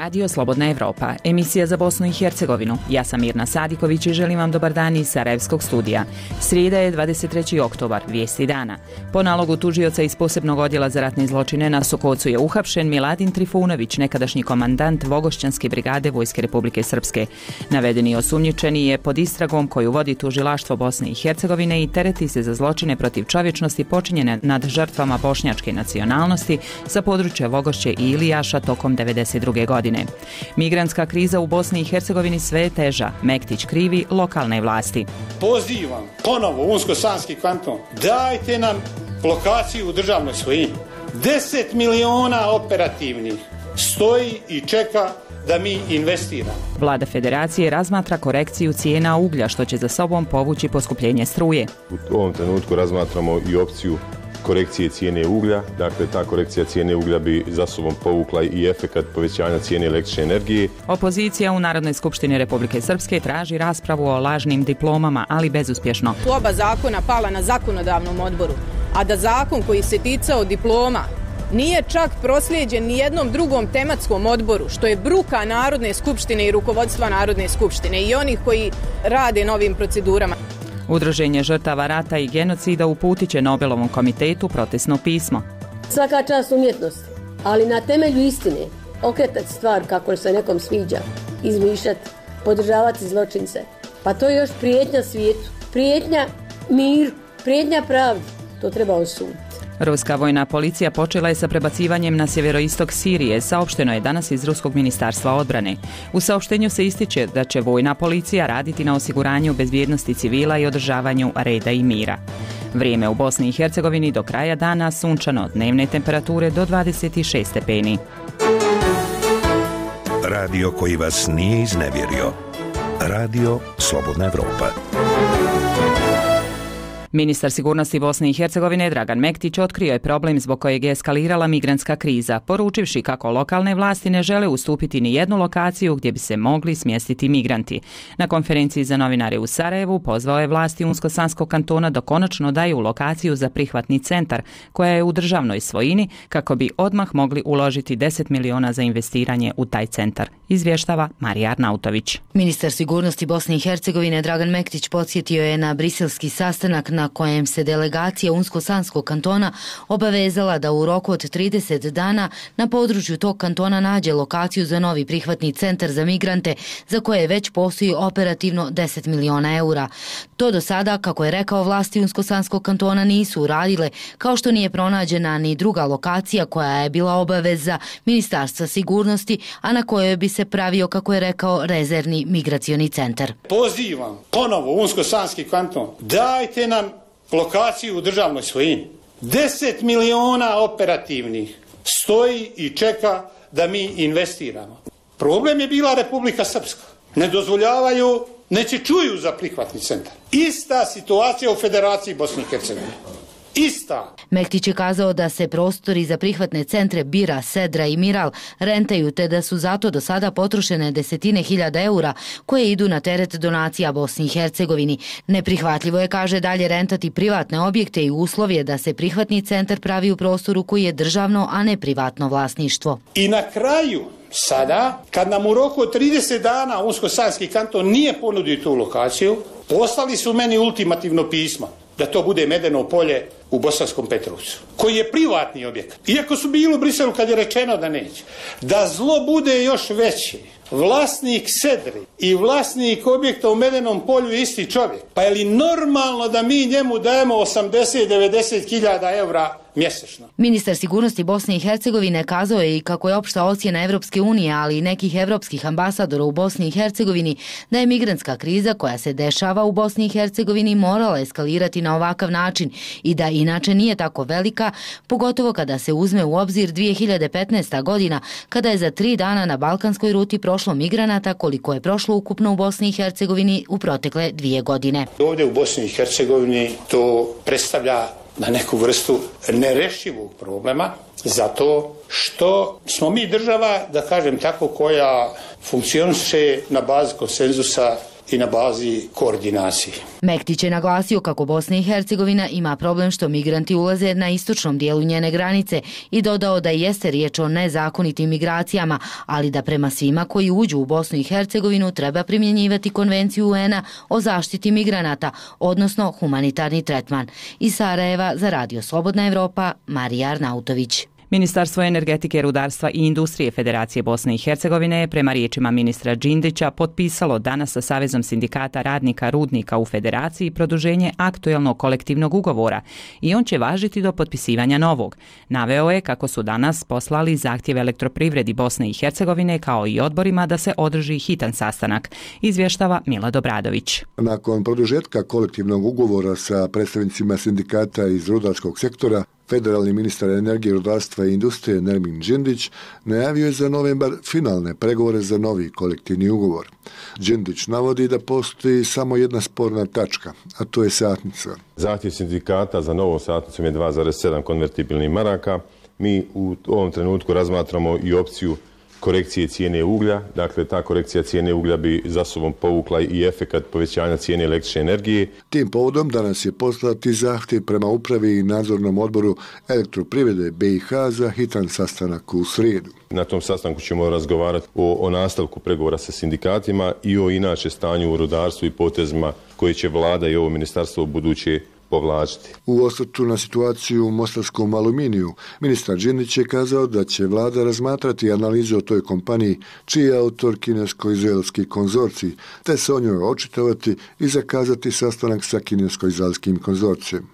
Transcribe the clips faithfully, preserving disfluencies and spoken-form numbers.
Radio Slobodna Evropa, emisija za Bosnu i Hercegovinu. Ja sam Mirna Sadiković i želim vam dobar dan iz Sarajevskog studija. Srijeda je dvadeset treći oktobar, vijesti dana. Po nalogu tužioca iz posebnog odjela za ratne zločine na Sokocu je uhapšen Miladin Trifunović, nekadašnji komandant Vogošćanske brigade Vojske Republike Srpske. Navedeni osumnjičeni je pod istragom koju vodi tužilaštvo Bosne i Hercegovine i tereti se za zločine protiv čovječnosti počinjene nad žrtvama bošnjačke nacionalnosti sa područja Vogošće i Ilijaša tokom devedeset druge godine. Migrantska kriza u Bosni i Hercegovini sve je teža. Mektić krivi lokalne vlasti. Pozivam ponovo Unsko-Sanski kanton, dajte nam lokaciju u državnoj svojini. deset miliona operativnih stoji i čeka da mi investiramo. Vlada Federacije razmatra korekciju cijena uglja, što će za sobom povući poskupljenje struje. U ovom trenutku razmatramo i opciju korekcije cijene uglja. Dakle, ta korekcija cijene uglja bi za sobom povukla i efekat povećanja cijene električne energije. Opozicija u Narodnoj skupštini Republike Srpske traži raspravu o lažnim diplomama, ali bezuspješno. Tu oba zakona pala na zakonodavnom odboru, a da zakon koji se ticao diploma nije čak proslijeđen ni jednom drugom tematskom odboru, što je bruka Narodne skupštine i rukovodstva Narodne skupštine i onih koji rade na ovim procedurama. Udruženje žrtava rata i genocida uputit će Nobelovom komitetu protestno pismo. Svaka čast umjetnosti, ali na temelju istine okretati stvar kako se nekom sviđa, izmišljati, podržavati zločince. Pa to je još prijetnja svijetu, prijetnja miru, prijetnja pravdi. To treba osuditi. Ruska vojna policija počela je sa prebacivanjem na sjeveroistok Sirije, saopšteno je danas iz Ruskog ministarstva odbrane. U saopštenju se ističe da će vojna policija raditi na osiguranju bezbjednosti civila i održavanju reda i mira. Vrijeme u Bosni i Hercegovini do kraja dana sunčano, dnevne temperature do dvadeset šest stepeni. Radio koji vas nije iznevjerio. Radio Slobodna Evropa. Ministar sigurnosti Bosne i Hercegovine Dragan Mektić otkrio je problem zbog kojeg je eskalirala migrantska kriza, poručivši kako lokalne vlasti ne žele ustupiti ni jednu lokaciju gdje bi se mogli smjestiti migranti. Na konferenciji za novinare u Sarajevu pozvao je vlasti Unsko-Sanskog kantona da konačno daju lokaciju za prihvatni centar, koja je u državnoj svojini, kako bi odmah mogli uložiti deset miliona za investiranje u taj centar, izvještava Marija Arnautović. Ministar sigurnosti Bosne i Hercegovine Dragan Mektić podsjetio je na briselski sastanak na kojem se delegacija Unsko-Sanskog kantona obavezala da u roku od trideset dana na području tog kantona nađe lokaciju za novi prihvatni centar za migrante, za koje već postoji operativno deset miliona eura. To do sada, kako je rekao, vlasti Unsko-Sanskog kantona nisu uradile, kao što nije pronađena ni druga lokacija koja je bila obaveza Ministarstva sigurnosti, a na kojoj bi se pravio, kako je rekao, rezervni migracioni centar. Pozivam ponovo Unsko-Sanski kanton, dajte nam lokaciju u državnoj svojini. deset miliona operativnih stoji i čeka da mi investiramo. Problem je bila Republika Srpska. Ne dozvoljavaju, neće čuju za prihvatni centar. Ista situacija u Federaciji Bosne i Hercegovine. Ista. Mektić je kazao da se prostori za prihvatne centre Bira, Sedra i Miral rentaju, te da su zato do sada potrošene desetine hiljada eura koje idu na teret donacija Bosni i Hercegovini. Neprihvatljivo je, kaže, dalje rentati privatne objekte i uslov je da se prihvatni centar pravi u prostoru koji je državno, a ne privatno vlasništvo. I na kraju, sada, kad nam u roku od trideset dana Unsko-Sanski kanton nije ponudio tu lokaciju, poslali su meni ultimativno pismo da to bude Medeno polje u Bosanskom Petrovcu, koji je privatni objekat. Iako su bili u Briselu kad je rečeno da neće. Da zlo bude još veće, vlasnik Sedri i vlasnik objekta u Medenom polju je isti čovjek. Pa je li normalno da mi njemu dajemo osamdeset do devedeset hiljada eura mjesečno? Ministar sigurnosti Bosne i Hercegovine kazao je i kako je opšta ocjena Evropske unije, ali i nekih evropskih ambasadora u Bosni i Hercegovini, da je migrantska kriza koja se dešava u Bosni i Hercegovini morala eskalirati na ovakav način i da inače nije tako velika, pogotovo kada se uzme u obzir dvije hiljade petnaesta godina, kada je za tri dana na balkanskoj ruti prošlo migranata koliko je prošlo ukupno u Bosni i Hercegovini u protekle dvije godine. Ovdje u Bosni i Hercegovini to predstavlja na neku vrstu nerešivog problema, zato što smo mi država, da kažem tako, koja funkcioniše na bazi konsenzusa i na bazi koordinacije. Mektić je naglasio kako Bosna i Hercegovina ima problem što migranti ulaze na istočnom dijelu njene granice i dodao da jeste riječ o nezakonitim migracijama, ali da prema svima koji uđu u Bosnu i Hercegovinu treba primjenjivati Konvenciju U N-a o zaštiti migranata, odnosno humanitarni tretman. Iz Sarajeva za Radio Slobodna Evropa, Marija Arnautović. Ministarstvo energetike, rudarstva i industrije Federacije Bosne i Hercegovine je prema riječima ministra Đindića potpisalo danas sa Savezom sindikata radnika rudnika u Federaciji produženje aktuelnog kolektivnog ugovora i on će važiti do potpisivanja novog. Naveo je kako su danas poslali zahtjev Elektroprivredi Bosne i Hercegovine kao i odborima da se održi hitan sastanak, izvještava Milad Obradović. Nakon produžetka kolektivnog ugovora sa predstavnicima sindikata iz rudarskog sektora, federalni ministar energije, rudarstva i industrije Nermin Đindić najavio je za novembar finalne pregovore za novi kolektivni ugovor. Đindić navodi da postoji samo jedna sporna tačka, a to je satnica. Zahtjev sindikata za novom satnicom je dva zarez sedam konvertibilnih maraka. Mi u ovom trenutku razmatramo i opciju korekcije cijene uglja, dakle ta korekcija cijene uglja bi za sobom povukla i efekat povećanja cijene električne energije. Tim povodom danas je poslati zahtjev prema upravi i nadzornom odboru Elektroprivrede B i H za hitan sastanak u srijedu. Na tom sastanku ćemo razgovarati o, o nastavku pregovora sa sindikatima i o inače stanju u rudarstvu i potezima koje će vlada i ovo ministarstvo u buduće povlačiti. U osvrtu na situaciju u mostarskom aluminiju, ministar Đindić je kazao da će vlada razmatrati analizu o toj kompaniji čiji je autor kinesko-izraelski konzorcij, te se o njoj očitovati i zakazati sastanak sa kinesko-izraelskim konzorcijem.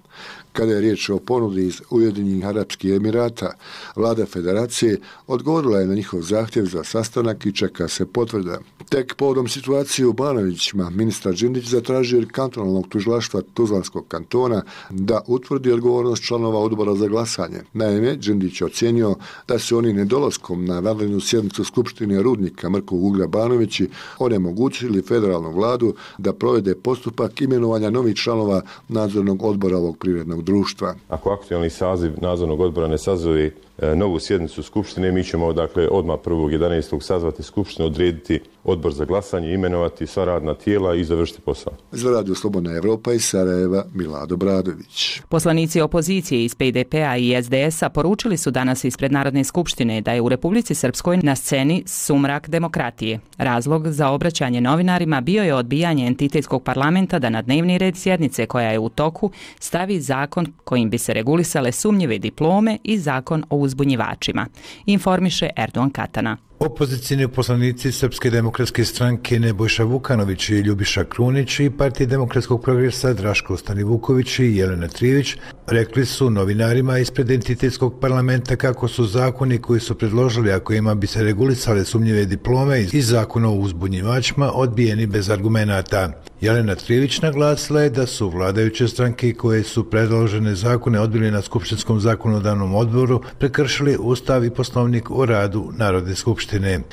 Kada je riječ o ponudi iz Ujedinjenih Arapskih Emirata, vlada federacije odgovorila je na njihov zahtjev za sastanak i čeka se potvrda. Tek povodom situacije u Banovićima, ministar Đindić zatražio od kantonalnog tužilaštva Tuzlanskog kantona da utvrdi odgovornost članova odbora za glasanje. Naime, Đindić je ocijenio da su oni nedolaskom na vanrednu sjednicu Skupštine rudnika Mrkog uglja Banovići onemogućili federalnu vladu da provede postupak imenovanja novih članova nadzornog odbora ovog privrednog društva. Ako aktualni saziv nadzornog odbora ne sazove e, novu sjednicu Skupštine, mi ćemo dakle odmah prvog jedanaestog sazvati Skupštinu, odrediti odbor za glasanje, imenovati sva radna tijela i završiti posao. Za Radio Slobodna Evropa iz Sarajeva, Milad Obradović. Poslanici opozicije iz P D P-a i S D S-a poručili su danas ispred Narodne skupštine da je u Republici Srpskoj na sceni sumrak demokratije. Razlog za obraćanje novinarima bio je odbijanje entitetskog parlamenta da na dnevni red sjednice koja je u toku stavi zakon kojim bi se regulisale sumnjive diplome i zakon o uzbunjivačima. Informiše Erdogan Katana. Opozicijni poslanici Srpske demokratske stranke Nebojša Vukanović i Ljubiša Krunić i Partije demokratskog progresa Draško Stanivuković i Jelena Trijević rekli su novinarima ispred entitetskog parlamenta kako su zakoni koji su predložili, a kojima bi se regulisale sumnjive diplome i zakon o uzbunjivačima, odbijeni bez argumenata. Jelena Trijević naglasila je da su vladajuće stranke koje su predložene zakone odbili na Skupštinskom zakonodavnom odboru prekršili Ustav i Poslovnik o radu Narodne skupštine.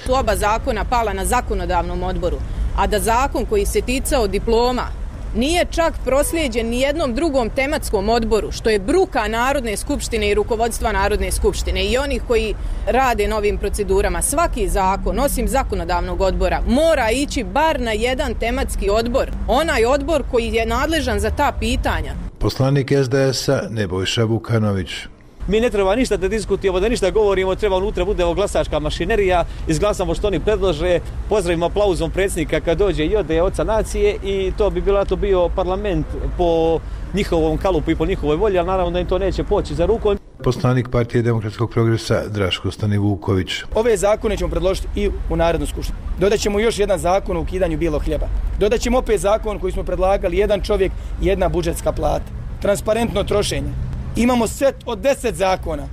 Tu oba zakona pala na zakonodavnom odboru, a da zakon koji se ticao diploma nije čak proslijeđen ni jednom drugom tematskom odboru, što je bruka Narodne skupštine i rukovodstva Narodne skupštine i onih koji rade novim procedurama. Svaki zakon, osim zakonodavnog odbora, mora ići bar na jedan tematski odbor, onaj odbor koji je nadležan za ta pitanja. Poslanik S D S-a Nebojša Vukanović. Mi ne treba ništa da diskutujemo, da ništa govorimo, treba unutra bude glasačka mašinerija, izglasamo što oni predlože, pozdravimo aplauzom predsjednika kad dođe i ode oca nacije i to bi bilo to bio parlament po njihovom kalupu i po njihovoj volji, ali naravno da im to neće poći za rukom. Poslanik Partije demokratskog progresa Draško Stanivuković. Ove zakone ćemo predložiti i u Narodnu skupštinu. Dodaćemo još jedan zakon o ukidanju bijelog hljeba. Dodaćemo opet zakon koji smo predlagali, jedan čovjek, jedna budžetska plata. Transparentno trošenje. Imamo set od deset zakona.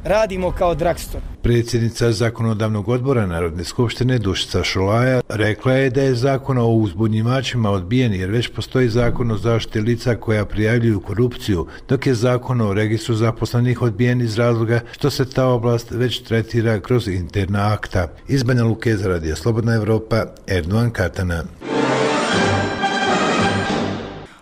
Radimo kao Dragstor. Predsjednica zakonodavnog odbora Narodne skupštine Dušica Šolaja rekla je da je zakon o uzbunjivačima odbijen jer već postoji zakon o zaštiti lica koja prijavljuju korupciju, dok je zakon o registru zaposlenih odbijen iz razloga što se ta oblast već tretira kroz interna akta. Iz Banja Luke za Radio Slobodna Evropa, Erdogan Katana.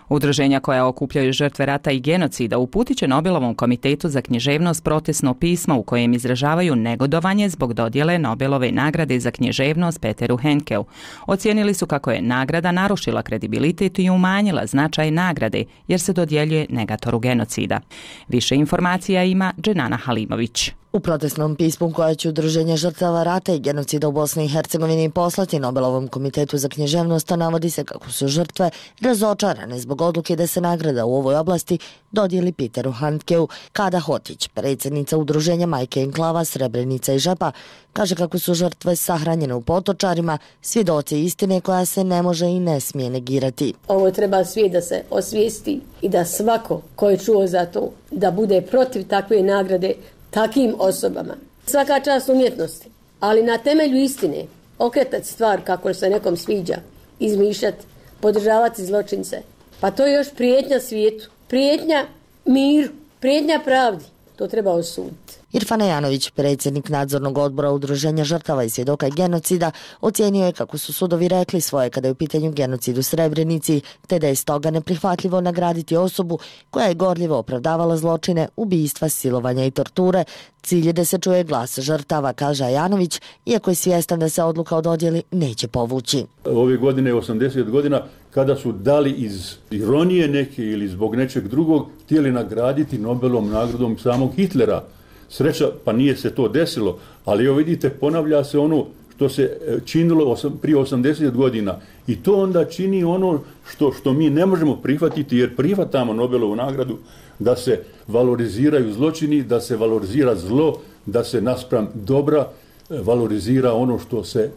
Udruženja koja okupljaju žrtve rata i genocida uputit će Nobelovom komitetu za književnost protestno pismo u kojem izražavaju negodovanje zbog dodjele Nobelove nagrade za književnost Peteru Handkeu. Ocijenili su kako je nagrada narušila kredibilitet i umanjila značaj nagrade jer se dodjeljuje negatoru genocida. Više informacija ima Dženana Halimović. U protestnom pismu koja će Udruženje žrtava rata i genocida u Bosni i Hercegovini poslati Nobelovom komitetu za književnost navodi se kako su žrtve razočarane zbog odluke da se nagrada u ovoj oblasti dodijeli Peteru Handkeu. Kada Hotić, predsjednica Udruženja Majke Enklava, Srebrenica i Žepa, kaže kako su žrtve sahranjene u potočarima, svjedoci istine koja se ne može i ne smije negirati. Ovo treba svijet da se osvijesti i da svako ko je čuo za to da bude protiv takve nagrade takim osobama. Svaka čast umjetnosti, ali na temelju istine okretati stvar kako se nekom sviđa, izmišljati, podržavati zločince. Pa to je još prijetnja svijetu, prijetnja miru, prijetnja pravdi. To treba osuditi. Irfan Janović, predsjednik nadzornog odbora Udruženja žrtava i svjedoka genocida, ocijenio je kako su sudovi rekli svoje kada je u pitanju genocid u Srebrenici, te da je stoga neprihvatljivo nagraditi osobu koja je gorljivo opravdavala zločine, ubistva, silovanja i torture. Cilj je da se čuje glas žrtava, kaže Janović, iako je svjestan da se odluka o dodjeli neće povući. Ove godine je osamdeset godina kada su dali iz ironije neke ili zbog nečeg drugog htjeli nagraditi Nobelovom nagradom samog Hitlera. Sreća, pa nije se to desilo, ali evo vidite, ponavlja se ono što se činilo prije osamdeset godina i to onda čini ono što, što mi ne možemo prihvatiti jer prihvatamo Nobelovu nagradu da se valoriziraju zločini, da se valorizira zlo, da se naspram dobra valorizira ono što se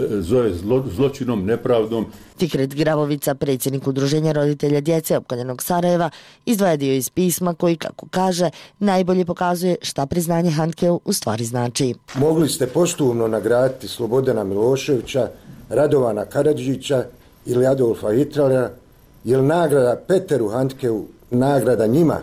zove zlo, zločinom, nepravdom. Fikret Gravovica, predsjednik Udruženja roditelja djece opkoljenog Sarajeva, izdvaja dio iz pisma koji, kako kaže, najbolje pokazuje šta priznanje Handkeu u stvari znači. Mogli ste posthumno nagraditi Slobodana Miloševića, Radovana Karadžića ili Adolfa Hitlera, jer nagrada Peteru Handkeu nagrada njima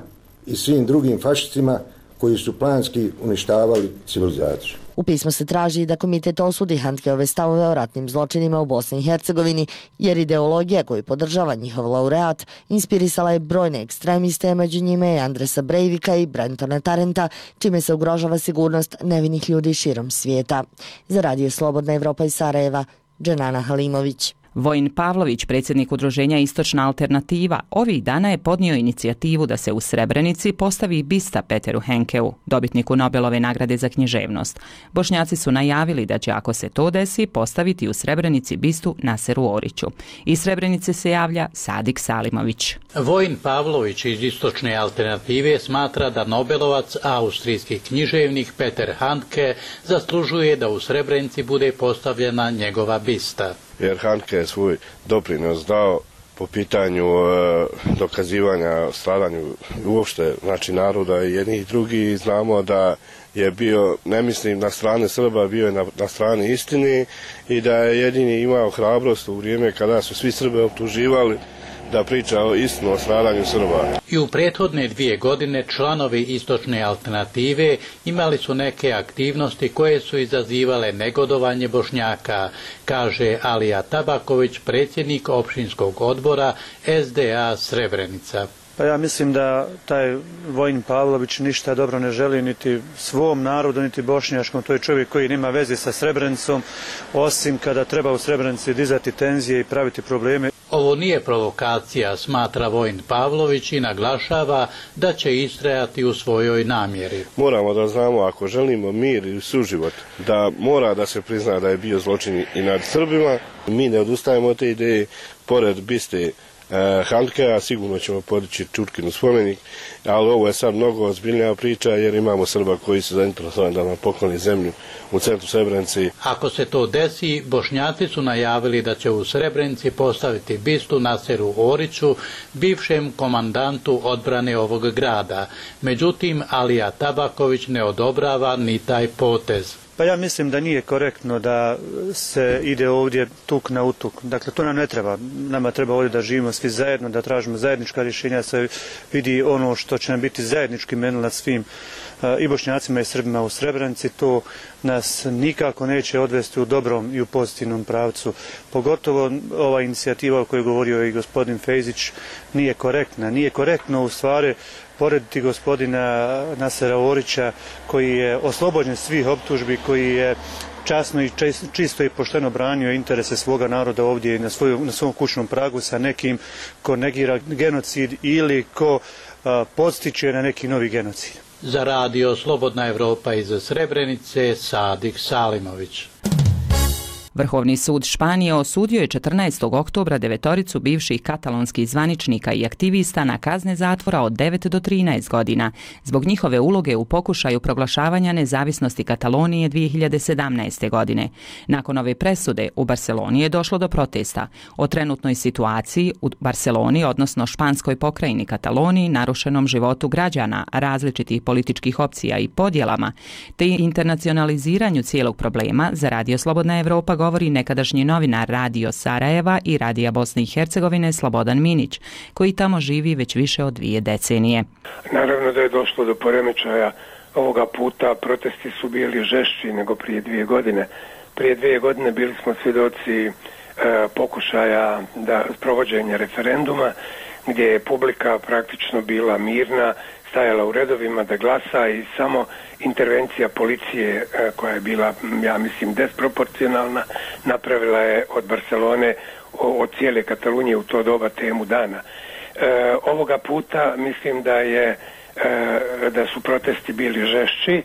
i svim drugim fašistima koji su planski uništavali civilizaciju. U pismu se traži da komitet osudi Handkeove stavove o ratnim zločinima u Bosni i Hercegovini, jer ideologija koju podržava njihov laureat inspirisala je brojne ekstremiste, među njime i Andresa Breivika i Brentona Tarenta, čime se ugrožava sigurnost nevinih ljudi širom svijeta. Za Radio Slobodna Evropa iz Sarajeva, Dženana Halimović. Vojin Pavlović, predsjednik Udruženja Istočna alternativa, ovih dana je podnio inicijativu da se u Srebrenici postavi bista Peteru Handkeu, dobitniku Nobelove nagrade za književnost. Bošnjaci su najavili da će, ako se to desi, postaviti u Srebrenici bistu Naseru Oriću. Iz Srebrenice se javlja Sadik Salimović. Vojin Pavlović iz Istočne alternative smatra da Nobelovac, austrijski književnik Peter Handke, zaslužuje da u Srebrenici bude postavljena njegova bista. Jer Handke je svoj doprinos dao po pitanju e, dokazivanja stradanju uopšte, znači naroda i jednih i drugih. Znamo da je bio, ne mislim na strane Srba, bio je na, na strani istini i da je jedini imao hrabrost u vrijeme kada su svi Srbe optuživali da priča o istinu o stradanju Srba. I u prethodne dvije godine članovi Istočne alternative imali su neke aktivnosti koje su izazivale negodovanje Bošnjaka, kaže Alija Tabaković, predsjednik općinskog odbora S D A Srebrenica. Pa ja mislim da taj Vojin Pavlović ništa dobro ne želi niti svom narodu, niti bošnjačkom. To je čovjek koji nema veze sa Srebrenicom, osim kada treba u Srebrenici dizati tenzije i praviti probleme. Ovo nije provokacija, smatra Vojin Pavlović i naglašava da će istrajati u svojoj namjeri. Moramo da znamo, ako želimo mir i suživot, da mora da se prizna da je bio zločin i nad Srbima. Mi ne odustajemo od te ideje, pored biste Handkea, sigurno ćemo podići Čurkinu spomenik, ali ovo je sad mnogo ozbiljnija priča jer imamo Srba koji su zainteresovani da nam pokloni zemlju u centru Srebrenici. Ako se to desi, Bošnjaci su najavili da će u Srebrenici postaviti bistu Naseru Oriću, bivšem komandantu odbrane ovog grada. Međutim, Alija Tabaković ne odobrava ni taj potez. Pa Pa ja mislim da nije korektno da se ide ovdje tuk na utuk. Dakle, to nam ne treba. Nama treba ovdje da živimo svi zajedno, da tražimo zajednička rješenja, da se vidi ono što će nam biti zajednički menil nad svim i Bošnjacima i Srbima u Srebrenici. To nas nikako neće odvesti u dobrom i u pozitivnom pravcu. Pogotovo ova inicijativa o kojoj je govorio i gospodin Fejzić nije korektna. Nije korektno u stvari porediti gospodina Nasera Orića koji je oslobođen svih optužbi, koji je časno i čisto i pošteno branio interese svoga naroda ovdje na, svoju, na svom kućnom pragu sa nekim ko negira genocid ili ko a, podstiče na neki novi genocid. Za radio Slobodna Evropa iz Srebrenice, Sadik Salimović. Vrhovni sud Španije osudio je četrnaestog oktobra devetoricu bivših katalonskih zvaničnika i aktivista na kazne zatvora od devet do trinaest godina zbog njihove uloge u pokušaju proglašavanja nezavisnosti Katalonije dvije hiljade sedamnaeste. godine. Nakon ove presude u Barceloni je došlo do protesta o trenutnoj situaciji u Barceloni, odnosno španskoj pokrajini Kataloniji, narušenom životu građana, različitih političkih opcija i podjelama, te internacionaliziranju cijelog problema. Za radio Slobodna Evropa govori nekadašnji novinar Radio Sarajeva i Radija Bosne i Hercegovine Slobodan Minić, koji tamo živi već više od dvije decenije. Naravno da je došlo do poremećaja ovoga puta. Protesti su bili žešći nego prije dvije godine. Prije dvije godine bili smo svjedoci e, pokušaja da provođenja referenduma, gdje je publika praktično bila mirna, stajala u redovima da glasa i samo intervencija policije koja je bila, ja mislim, desproporcionalna, napravila je od Barcelone, od cijele Katalunije u to doba temu dana. E, ovoga puta mislim da je e, da su protesti bili žešći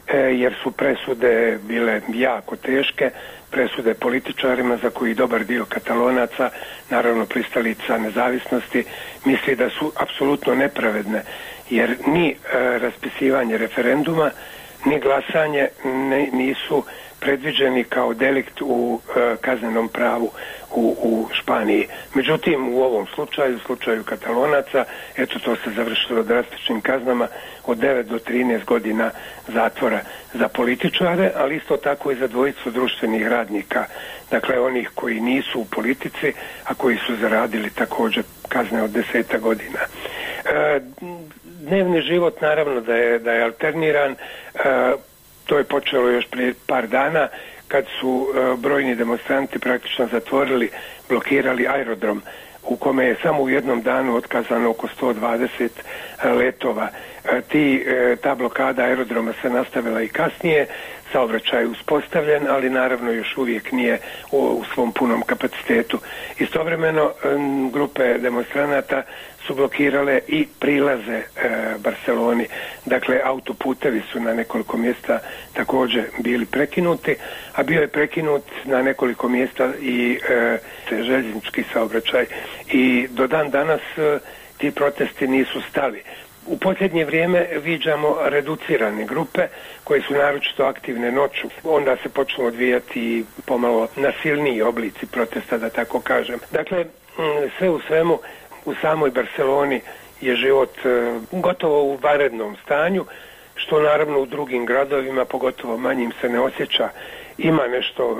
e, jer su presude bile jako teške, presude političarima za koji dobar dio Katalonaca, naravno pristalica nezavisnosti, misli da su apsolutno nepravedne, jer ni e, raspisivanje referenduma ni glasanje ne, nisu predviđeni kao delikt u e, kaznenom pravu u, u Španiji. Međutim, u ovom slučaju, u slučaju Katalonaca, eto to se završilo drastičnim kaznama od devet do trinaest godina zatvora za političare, ali isto tako i za dvojicu društvenih radnika, dakle onih koji nisu u politici, a koji su zaradili također kazne od deseta godina. E, dnevni život naravno da je, da je alterniran, e, to je počelo još prije par dana kad su e, brojni demonstranti praktično zatvorili, blokirali aerodrom u kome je samo u jednom danu otkazano oko sto dvadeset letova. E, ti, e, ta blokada aerodroma se nastavila i kasnije, saobraćaj je uspostavljen, ali naravno još uvijek nije u, u svom punom kapacitetu. Istovremeno e, grupe demonstranata su blokirale i prilaze e, Barceloni. Dakle, autoputevi su na nekoliko mjesta također bili prekinuti, a bio je prekinut na nekoliko mjesta i e, željeznički saobraćaj. I do dan danas e, ti protesti nisu stali. U posljednje vrijeme viđamo reducirane grupe koje su naročito aktivne noću. Onda se počnu odvijati pomalo nasilniji oblici protesta, da tako kažem. Dakle, sve u svemu, u samoj Barceloni je život gotovo u vanrednom stanju, što naravno u drugim gradovima, pogotovo manjim, se ne osjeća. Ima nešto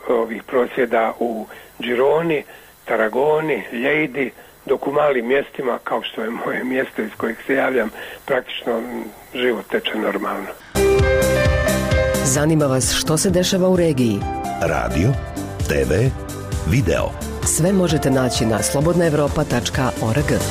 ovih prosvjeda u Gironi, Tarragoni, Lleidi, dok u malim mjestima, kao što je moje mjesto iz kojeg se javljam, praktično život teče normalno. Zanima vas što se dešava u regiji? Radio, te ve, video. Sve možete naći na slobodna evropa tačka org.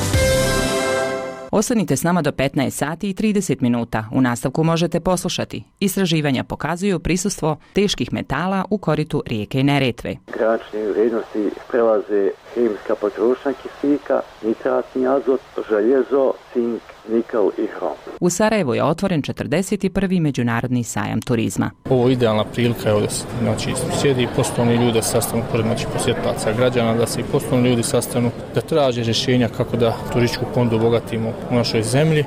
Ostanite s nama do petnaest sati i trideset minuta. U nastavku možete poslušati. Istraživanja pokazuju prisustvo teških metala u koritu rijeke Neretve. Granične vrijednosti prelaze hemijska potrošnja kisika, nitratni azot, željezo, cink, nikl i hrom. U Sarajevu je otvoren četrdeset prvi međunarodni sajam turizma. Ovo je idealna prilika, evo da se znači, sjedi i poslovni ljudi sastanu pored znači, posjetlaca građana, da se i poslovni ljudi sastanu, da traže rješenja kako da turističku ponudu obogatimo u našoj zemlji.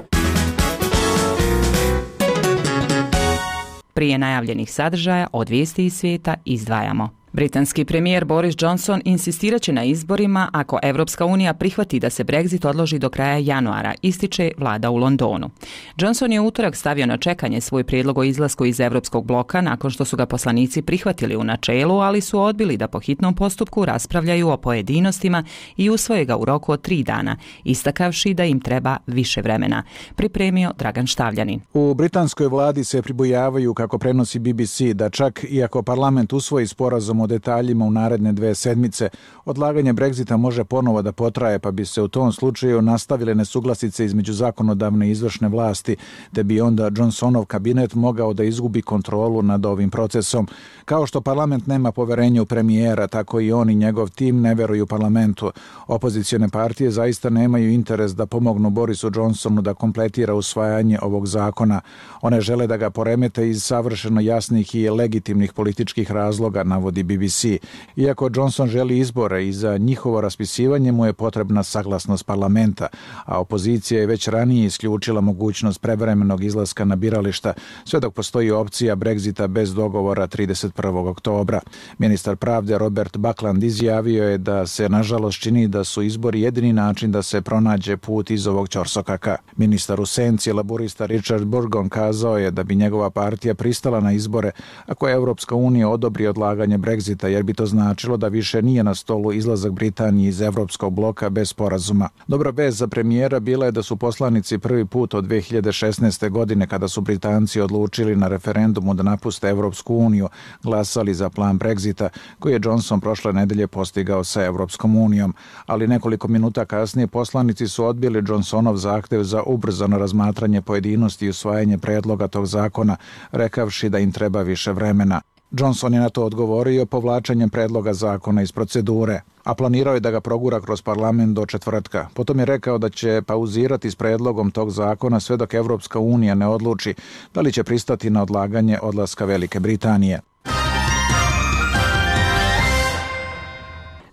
Prije najavljenih sadržaja od vijesti iz svijeta izdvajamo. Britanski premijer Boris Johnson insistirat će na izborima ako Evropska unija prihvati da se Brexit odloži do kraja januara, ističe vlada u Londonu. Johnson je u utorak stavio na čekanje svoj prijedlog o izlasku iz Evropskog bloka nakon što su ga poslanici prihvatili u načelu, ali su odbili da po hitnom postupku raspravljaju o pojedinostima i usvoje ga u roku od tri dana, istakavši da im treba više vremena. Pripremio Dragan Štavljanin. U britanskoj vladi se pribojavaju, kako prenosi B B C, da čak iako parlament usvoji sporazum o detaljima u naredne dve sedmice, odlaganje Brexita može ponovo da potraje, pa bi se u tom slučaju nastavile nesuglasice između zakonodavne i izvršne vlasti, te bi onda Johnsonov kabinet mogao da izgubi kontrolu nad ovim procesom. Kao što parlament nema poverenje u premijera, tako i on i njegov tim ne veruju parlamentu. Opozicione partije zaista nemaju interes da pomognu Borisu Johnsonu da kompletira usvajanje ovog zakona. One žele da ga poremete iz savršeno jasnih i legitimnih političkih razloga, navodi B B C. Iako Johnson želi izbore i za njihovo raspisivanje mu je potrebna saglasnost parlamenta, a opozicija je već ranije isključila mogućnost prevremenog izlaska na birališta, sve dok postoji opcija Brexita bez dogovora trideset prvog oktobra. Ministar pravde Robert Buckland izjavio je da se nažalost čini da su izbori jedini način da se pronađe put iz ovog ćorsokaka. Ministar u senci laburista Richard Burgon kazao je da bi njegova partija pristala na izbore ako je Evropska unija odobri odlaganje Brexita, jer bi to značilo da više nije na stolu izlazak Britanije iz Evropskog bloka bez sporazuma. Dobra vest za premijera bila je da su poslanici prvi put od dve hiljade šesnaeste. godine, kada su Britanci odlučili na referendumu da napuste Evropsku uniju, glasali za plan Brexita, koji je Johnson prošle nedelje postigao sa Evropskom unijom. Ali nekoliko minuta kasnije poslanici su odbili Johnsonov zahtev za ubrzano razmatranje pojedinosti i usvajanje predloga tog zakona, rekavši da im treba više vremena. Johnson je na to odgovorio povlačenjem predloga zakona iz procedure, a planirao je da ga progura kroz parlament do četvrtka. Potom je rekao da će pauzirati s predlogom tog zakona sve dok Evropska unija ne odluči da li će pristati na odlaganje odlaska Velike Britanije.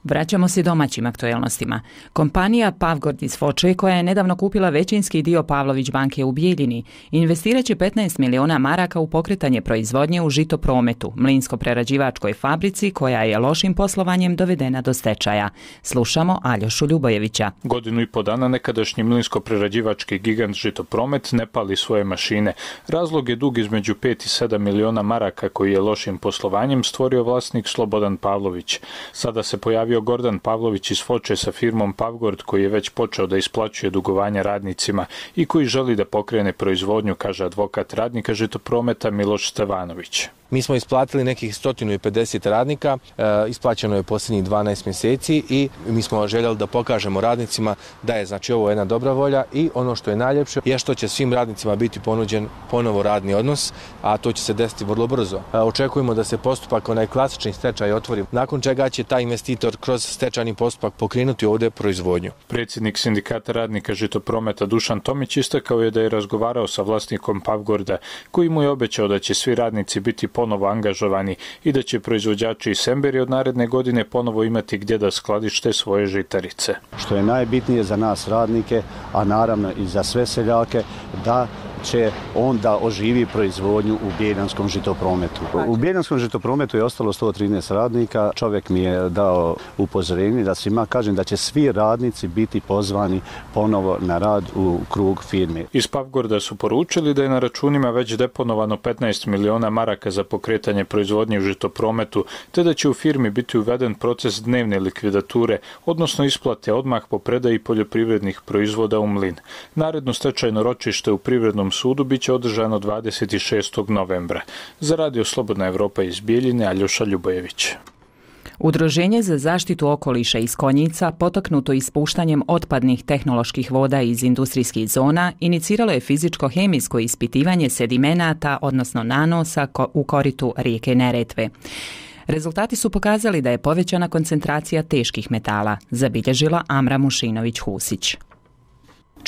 Vraćamo se domaćim aktuelnostima. Kompanija Pavgord iz Foče, koja je nedavno kupila većinski dio Pavlović banke u Bijeljini, investirat će petnaest miliona maraka u pokretanje proizvodnje u žitoprometu, mlinsko-prerađivačkoj fabrici koja je lošim poslovanjem dovedena do stečaja. Slušamo Aljošu Ljubojevića. Godinu i po dana nekadašnji mlinsko-prerađivački gigant Žitopromet ne pali svoje mašine. Razlog je dug između pet i sedam miliona maraka koji je lošim poslovanjem stvorio vlasnik Slobodan Pavlović. Sada se pojavio Gordan Pavlović iz Foče sa firmom Pavgord, koji je već počeo da isplaćuje dugovanja radnicima i koji želi da pokrene proizvodnju, kaže advokat radnika Žitoprometa Miloš Stevanović. Mi smo isplatili nekih sto pedeset radnika, e, isplaćeno je posljednjih dvanaest mjeseci i mi smo željeli da pokažemo radnicima da je znači ovo jedna dobra volja i ono što je najljepše je što će svim radnicima biti ponuđen ponovo radni odnos, a to će se desiti vrlo brzo. E, očekujemo da se postupak, onaj klasični stečaj otvori, nakon čega će taj investitor kroz stečajni postupak pokrenuti ovdje proizvodnju. Predsjednik sindikata radnika Žitoprometa Dušan Tomić istakao je da je razgovarao sa vlasnikom Pavgorda, koji mu je obećao da će svi radnici biti ponovo angažovani i da će proizvođači iz Semberi od naredne godine ponovo imati gdje da skladište svoje žitarice. Što je najbitnije za nas radnike, a naravno i za sve seljake, da će on da oživi proizvodnju u Bijeljanskom žitoprometu. U Bijeljanskom žitoprometu je ostalo sto trinaest radnika. Čovjek mi je dao upozorenje da svima kažem da će svi radnici biti pozvani ponovo na rad u krug firme. Iz Pavgorda su poručili da je na računima već deponovano petnaest miliona maraka za pokretanje proizvodnje u žitoprometu, te da će u firmi biti uveden proces dnevne likvidature, odnosno isplate odmah po predaji poljoprivrednih proizvoda u mlin. Naredno stečajno ročište u Privrednom sudu biće održano dvadeset šestog novembra. Za Radio Slobodna Evropa iz Bijeljine, Aljoša Ljubojević. Udruženje za zaštitu okoliša iz Konjica, potaknuto ispuštanjem otpadnih tehnoloških voda iz industrijskih zona, iniciralo je fizičko-hemijsko ispitivanje sedimenata, odnosno nanosa, u koritu rijeke Neretve. Rezultati su pokazali da je povećana koncentracija teških metala, zabilježila Amra Mušinović-Husić.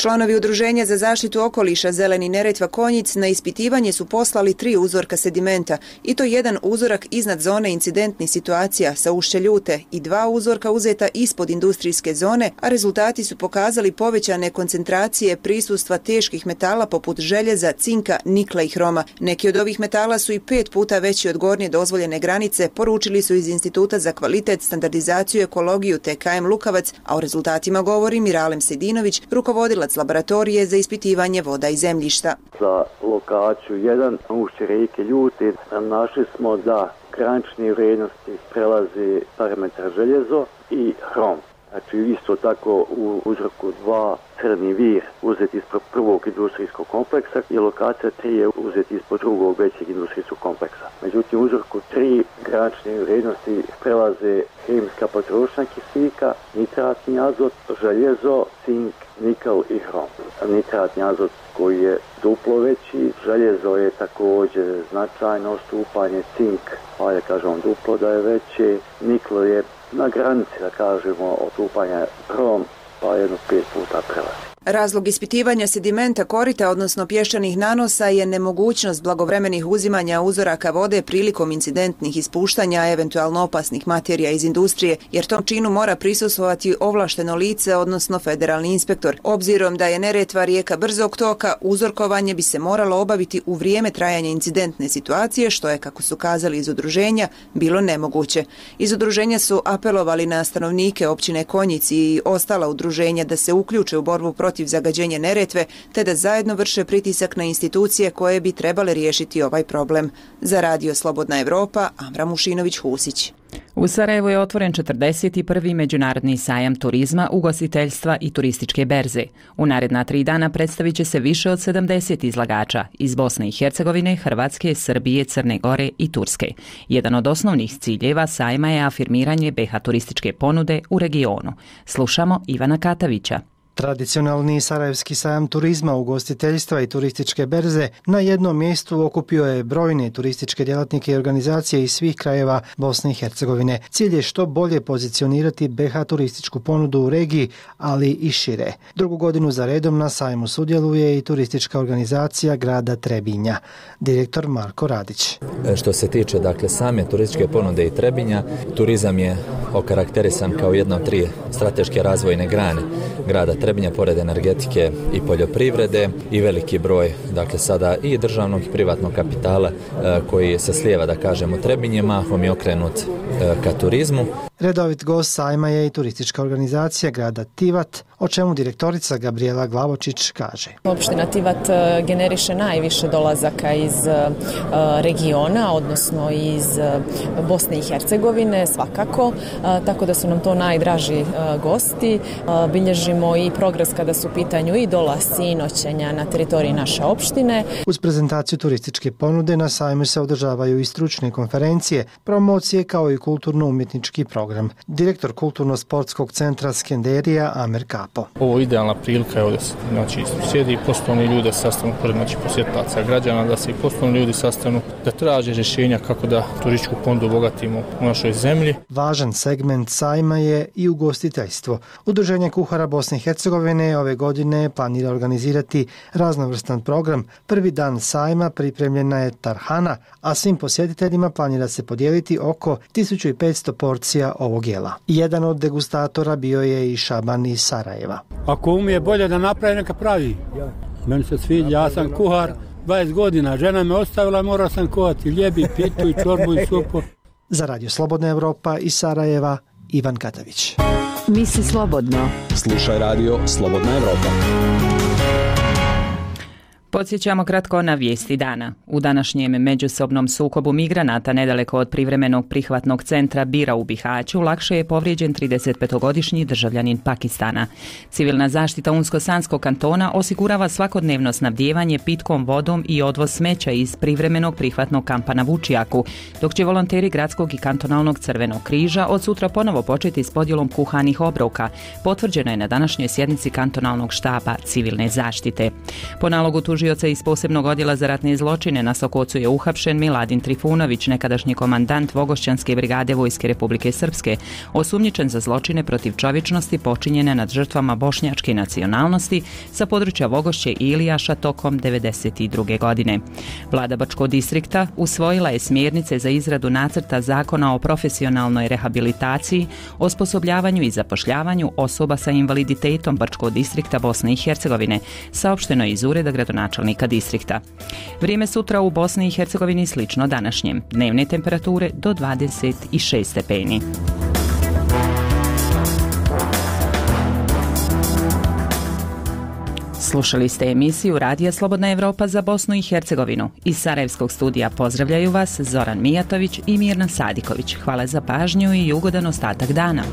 Članovi Udruženja za zaštitu okoliša Zeleni Neretva Konjic na ispitivanje su poslali tri uzorka sedimenta, i to jedan uzorak iznad zone incidentnih situacija sa ušće Ljute i dva uzorka uzeta ispod industrijske zone, a rezultati su pokazali povećane koncentracije prisustva teških metala poput željeza, cinka, nikla i hroma. Neki od ovih metala su i pet puta veći od gornje dozvoljene granice, poručili su iz Instituta za kvalitet, standardizaciju i ekologiju T K M Lukavac, a o rezultatima govori Miralem Sedinović, rukovodilac laboratorije za ispitivanje voda i zemljišta. Za lokaciju jedan ušće rijeke Ljute našli smo da granične vrijednosti prelazi parametar željezo i hrom. Znači isto tako u uzorku dva crni vir uzeti ispod prvog industrijskog kompleksa i lokacija tri je uzeti ispod drugog većeg industrijskog kompleksa. Međutim, u uzorku tri granične vrijednosti prelaze hemijska potrošnja kisika, nitratni azot, željezo, cink, nikl i hrom. Nitratni azot koji je duplo veći, željezo je također značajno odstupanje, cink, pa je kažemo duplo da je veće, nikl je na granici, da kažemo, odstupanja, hrom pa jedno pet puta prelazi. Razlog ispitivanja sedimenta korita, odnosno pješčanih nanosa, je nemogućnost blagovremenih uzimanja uzoraka vode prilikom incidentnih ispuštanja eventualno opasnih materija iz industrije, jer tom činu mora prisustvovati ovlašteno lice, odnosno federalni inspektor. Obzirom da je Neretva rijeka brzog toka, uzorkovanje bi se moralo obaviti u vrijeme trajanja incidentne situacije, što je, kako su kazali iz udruženja, bilo nemoguće. Iz udruženja su apelovali na stanovnike općine Konjic i ostala udruženja da se uključe u borbu protiv protiv zagađenja Neretve, te da zajedno vrše pritisak na institucije koje bi trebale riješiti ovaj problem. Za Radio Slobodna Evropa, Amra Mušinović-Husić. U Sarajevu je otvoren četrdeset prvi međunarodni sajam turizma, ugostiteljstva i turističke berze. U naredna tri dana predstavit će se više od sedamdeset izlagača iz Bosne i Hercegovine, Hrvatske, Srbije, Crne Gore i Turske. Jedan od osnovnih ciljeva sajma je afirmiranje B iH turističke ponude u regionu. Slušamo Ivana Katavića. Tradicionalni sarajevski sajam turizma, ugostiteljstva i turističke berze na jednom mjestu okupio je brojne turističke djelatnike i organizacije iz svih krajeva Bosne i Hercegovine. Cilj je što bolje pozicionirati B iH turističku ponudu u regiji, ali i šire. Drugu godinu za redom na sajmu sudjeluje i turistička organizacija grada Trebinja. Direktor Marko Radić. Što se tiče dakle same turističke ponude i Trebinja, turizam je okarakterisan kao jedna od tri strateške razvojne grane grada Trebinja, pored energetike i poljoprivrede, i veliki broj dakle sada i državnog i privatnog kapitala e, koji se slijeva, da kažemo, Trebinje, mahom je okrenut e, ka turizmu. Redovit gost sajma je i turistička organizacija grada Tivat, o čemu direktorica Gabriela Glavočić kaže. Opština Tivat generiše najviše dolazaka iz regiona, odnosno iz Bosne i Hercegovine, svakako, tako da su nam to najdraži gosti. Bilježimo i progres kada su u pitanju i dolasci i noćenja na teritoriji naše opštine. Uz prezentaciju turističke ponude na sajmu se održavaju i stručne konferencije, promocije kao i kulturno-umjetnički program. Direktor Kulturno-sportskog centra Skenderija Amer Kapo. Ovo je idealna prilika, evo da se znači, sjedi i poslovni ljudi sastanu pored znači, posjetlaca građana, da se i poslovni ljudi sastanu, da traže rješenja kako da turističku ponudu obogatimo u našoj zemlji. Važan segment sajma je i ugostiteljstvo. Udruženje kuhara Bosne i Hercegovine ove godine planira organizirati raznovrstan program. Prvi dan sajma pripremljena je tarhana, a svim posjetiteljima planira se podijeliti oko tisuću petsto porcija ovog jela. Jedan od degustatora bio je i Šaban iz Sarajeva. Ako umije bolje da napravi, neka pravi. Meni se sviđa, ja sam kuhar dvadeset godina, žena me ostavila, morao sam kuhati ljebi, pitu i čorbu i supu. Za Radio Slobodna Evropa iz Sarajeva, Ivan Katavić. Misli slobodno. Slušaj Radio Slobodna Evropa. Podsjećamo kratko na vijesti dana. U današnjem međusobnom sukobu migranata nedaleko od privremenog prihvatnog centra Bira u Bihaću lakše je povrijeđen tridesetpetogodišnji državljanin Pakistana. Civilna zaštita Unsko-Sanskog kantona osigurava svakodnevno snabdijevanje pitkom vodom i odvoz smeća iz privremenog prihvatnog kampa na Vučijaku, dok će volonteri Gradskog i kantonalnog Crvenog križa od sutra ponovo početi s podjelom kuhanih obroka. Potvrđeno je na današnjoj sjednici kantonalnog štaba civilne zaštite. Po nalogu tužioca iz posebnog odjela za ratne zločine na Sokocu je uhapšen Miladin Trifunović, nekadašnji komandant Vogošćanske brigade Vojske Republike Srpske, osumnjičen za zločine protiv čovječnosti počinjene nad žrtvama bošnjačke nacionalnosti sa područja Vogošće i Ilijaša tokom devedeset druge. godine. Vlada Bačkog distrikta usvojila je smjernice za izradu nacrta zakona o profesionalnoj rehabilitaciji, osposobljavanju i zapošljavanju osoba sa invaliditetom Bačkog distrikta Bosne i Hercegovine, saopšteno je iz ureda gradonačelnika distrikta. Vrijeme sutra u Bosni i Hercegovini slično današnjem. Dnevne temperature do dvadeset šest stepeni. Slušali ste emisiju Radija Slobodna Evropa za Bosnu i Hercegovinu. Iz Sarajevskog studija pozdravljaju vas Zoran Mijatović i Mirna Sadiković. Hvala za pažnju i ugodan ostatak dana.